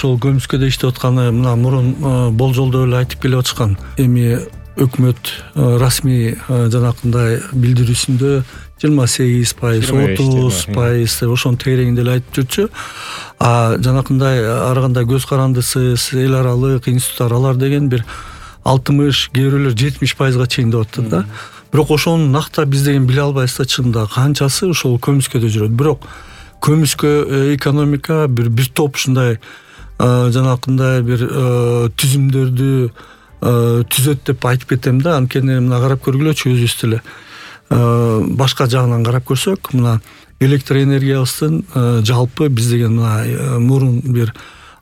ошол көмүскөдө иштеп атканы мына мурун болжолдоо эле айтып келип атышкан. Эми өкмөт расмий жанакындай билдирүүсүндө 28%, 30% ошонун тегерегинде эле айтып жүрчү. Жанакындай ар кандай көз карандысыз эл аралык институттар алар деген бир 60, кээ бирөөлөр 70%га чейин деп атты да. Бирок ошону накта биз деген биле албайбыз да, чынында канчасы ошол көмүскөдө жүрөт. Бирок көмүскө экономика бир топ ушундай жанакындай бир түзүмдөрдү түзөт деп айтып кетем да. Анткени мына карап көргүлөчү өзүбүз деле. Башка жагынан карап көрсөк, мына электр энергиябыздын жалпы биз деген мына мурун бир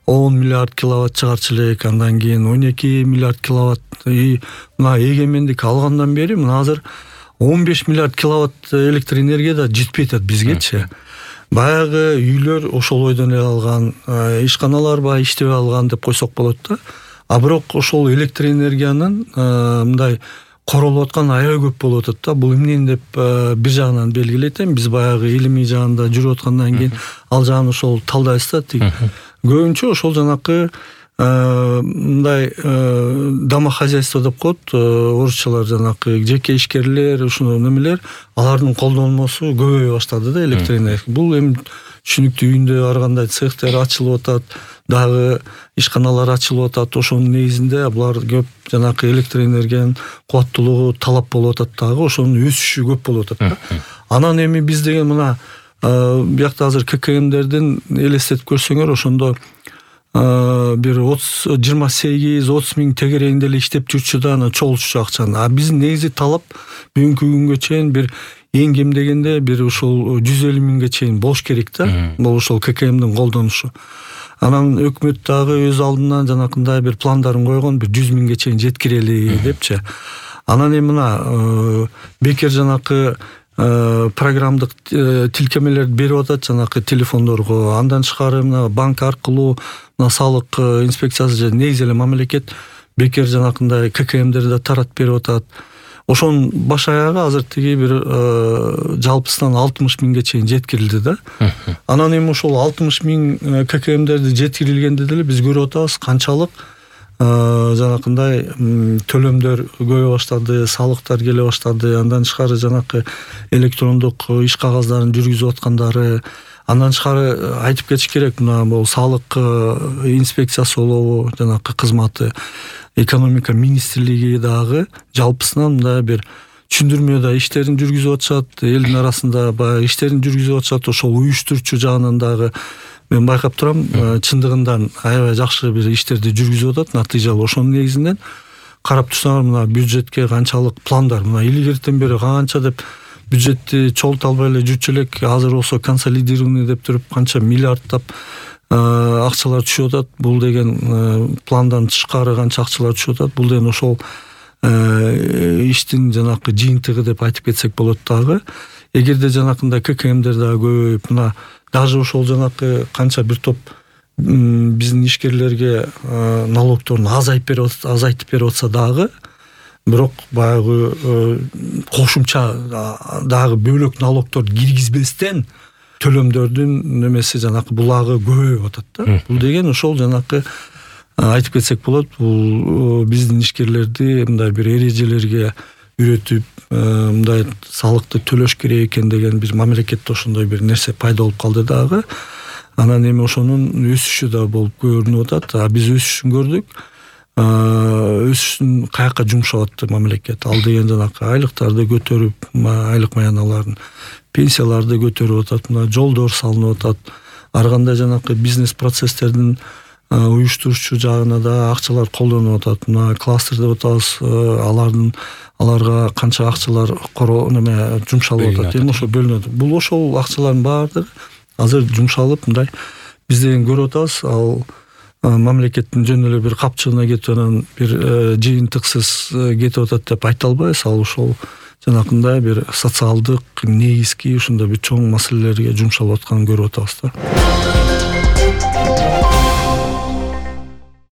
10 миллиард киловатт чыгарчу элек, андан кийин 12 миллиард киловатт. Мына эгемендик алгандан бери мына азыр 15 миллиард киловатт электр энергия да жетпей атат бизгечи. Баягы үйлөр ошол ойдон эле алган, ишканалар баягы иштебей алган деп койсок болот да. Бирок ошол электр энергиянын мындай королуп аткан аябай көп болуп атат да. Бул эмне деп бир жагынан белгилейт эми. Биз баягы илимий жагында жүрүп аткандан кийин ал жагын ошол талдайбыз да. Көбүнчө ошол жанакы мындай домохозяйство деп коет орусчалар, жанакы жеке ишкерлер, ушуну немелер, алардын колдонмосу көбөйө баштады да электр энергия. Бул эми түшүнүктүү, үйүндө ар кандай цехтер ачылып атат, дагы ишканалар ачылып атат. Ошонун негизинде булар көп жанакы электр энергиянын кубаттуулугу талап болуп атат, дагы ошонун өсүшү көп болуп атат да. Анан эми биз деген мына биякта азыр ККМдердин элестетип көрсөңөр, ошондо бир 28-30 миң тегерегинде эле иштеп жүрчү да, аны чогултчу акчаны. Биздин негизи талап бүгүнкү күнгө чейин бир эң кем дегенде бир ушул 150 миңге чейин болуш керек да. Бул ошол ККМдин колдонушу. Анан өкмөт дагы өз алдынан жанакындай бир пландарын койгон, бир 100 миңге чейин жеткирели депчи. Анан эми мына бекер жанакы программдык тилкемелерди берип атат жанакы телефондорго. Андан тышкары мына банк аркылуу мына салык инспекциясы же негизи эле мамлекет бекер жанакындай ККМдерди да таратып берип атат. Ошонун баш аягы азыр тиги бир жалпысынан 60 миңге чейин жеткирилди да. Анан эми ошол 60 миң ККМдерди жеткирилгенде деле биз көрүп атабыз канчалык жанакындай төлөмдөр көбөйө баштады, салыктар келе баштады. Андан тышкары жанакы электрондук иш кагаздарын жүргүзүп аткандары. Андан тышкары айтып кетиш керек, мына бул салык инспекциясы болобу, жанакы кызматы, экономика министрлиги дагы жалпысынан мындай бир түшүндүрмө да иштерин жүргүзүп атышат, элдин арасында баягы иштерин жүргүзүп атышат. Ошол уюштуруучу жагынан дагы мен байкап турам, чындыгында аябай жакшы бир иштерди жүргүзүп атат, натыйжалуу. Ошонун негизинен карап турсаңар, мына бюджетке канчалык пландар, мына илгертен бери канча деп бюджетти чогулта албай эле жүрчү элек, азыр болсо консолидированный деп туруп канча миллиардтап акчалар түшүп атат. Бул деген пландан тышкары канча акчалар түшүп атат. Бул деген ошол иштин жанакы жыйынтыгы деп айтып кетсек болот дагы. Эгерде жанакындай ККМдер дагы көбөйүп, мына даже ошол жанакы канча бир топ биздин ишкерлерге налогторун азайтып берип атса дагы, бирок баягы кошумча дагы бөлөк налогтор киргизбестен төлөмдөрдүн немеси жанакы булагы көбөйүп атат да. Бул деген ошол жанакы айтып кетсек болот, бул биздин ишкерлерди мындай бир эрежелерге үйрөтүп, мындай салыкты төлөш керек экен деген бир мамлекетте ошондой бир нерсе пайда болуп калды дагы. Анан эми ошонун өсүшү да болуп көрүнүп атат. Биз өсүшүн көрдүк. Өсүшүн каяка жумшап атты мамлекет? Ал деген жанакы айлыктарды көтөрүп, айлык маяналарын, пенсияларды көтөрүп атат, мына жолдор салынып атат. Ар кандай жанакы бизнес процесстердин уюштуруучу жагына да акчалар колдонуп атат. Мына кластер деп атабыз, аларга канча акчалар жумшалып атат. Эми ошо бөлүнөт. Бул ошол акчалардын баардыгы азыр жумшалып, мындай биз деген көрүп атабыз. Ал мамлекеттин жөн эле бир капчыгына кетип анан бир жыйынтыксыз кетип атат деп айта албайбыз. Ал ошол жанакындай бир социалдык негизги ушундай бир чоң маселелерге жумшалып атканын көрүп атабыз да.